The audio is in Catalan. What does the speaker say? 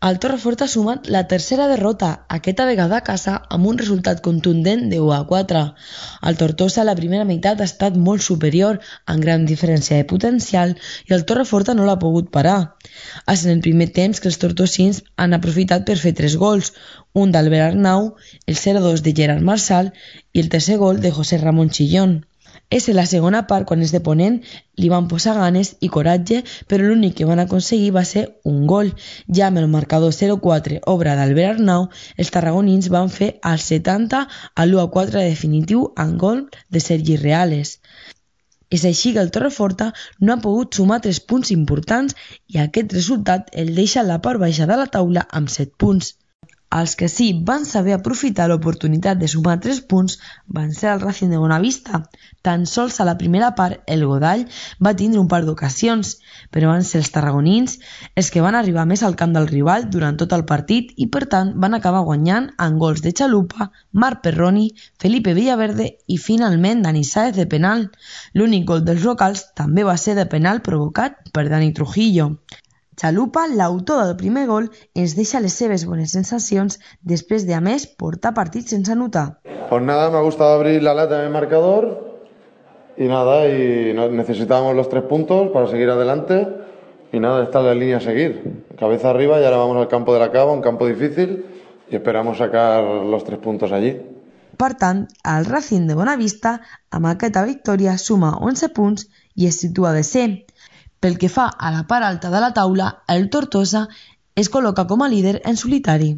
El Torreforta ha sumat la tercera derrota, aquesta vegada a casa, amb un resultat contundent de 1-4. El Tortosa a la primera meitat ha estat molt superior, amb gran diferència de potencial, i el Torreforta no l'ha pogut parar. És en el primer temps que els tortosins han aprofitat per fer 3 gols, un d'Albert Arnau, el 0-2 de Gerard Marçal i el tercer gol de José Ramón Chillón. És en la segona part quan els de Ponent li van posar ganes i coratge, però l'únic que van aconseguir va ser un gol. Ja amb el marcador 0-4, obra d'Albert Arnau, els tarragonins van fer al 70 a l'1-4 definitiu amb gol de Sergi Reales. És així que el Torreforta no ha pogut sumar 3 punts importants i aquest resultat el deixa a la part baixa de la taula amb 7 punts. Els que sí van saber aprofitar l'oportunitat de sumar 3 punts van ser el Racing de Bonavista. Tan sols a la primera part el Godall va tindre un par d'ocasions, però van ser els tarragonins els que van arribar més al camp del rival durant tot el partit i per tant van acabar guanyant amb gols de Chalupa, Marc Perroni, Felipe Villaverde i finalment Dani Sáez de penal. L'únic gol dels locals també va ser de penal provocat per Dani Trujillo. Chalupa, l'autor del primer gol, ens deixa les seves bones sensacions després de, a més, portar partits sense anotar. Pues nada, me ha gustado abrir la lata en el marcador y nada, necesitábamos los 3 puntos para seguir adelante y nada, esta es la línea a seguir. Cabeza arriba y ahora vamos al campo de la Cava, un campo difícil y esperamos sacar los 3 puntos allí. Per tant, el Racing de Bonavista, amb aquesta victòria, suma 11 punts i es situa de C. Pel que fa a la part alta de la taula, el Tortosa es col·loca com a líder en solitari.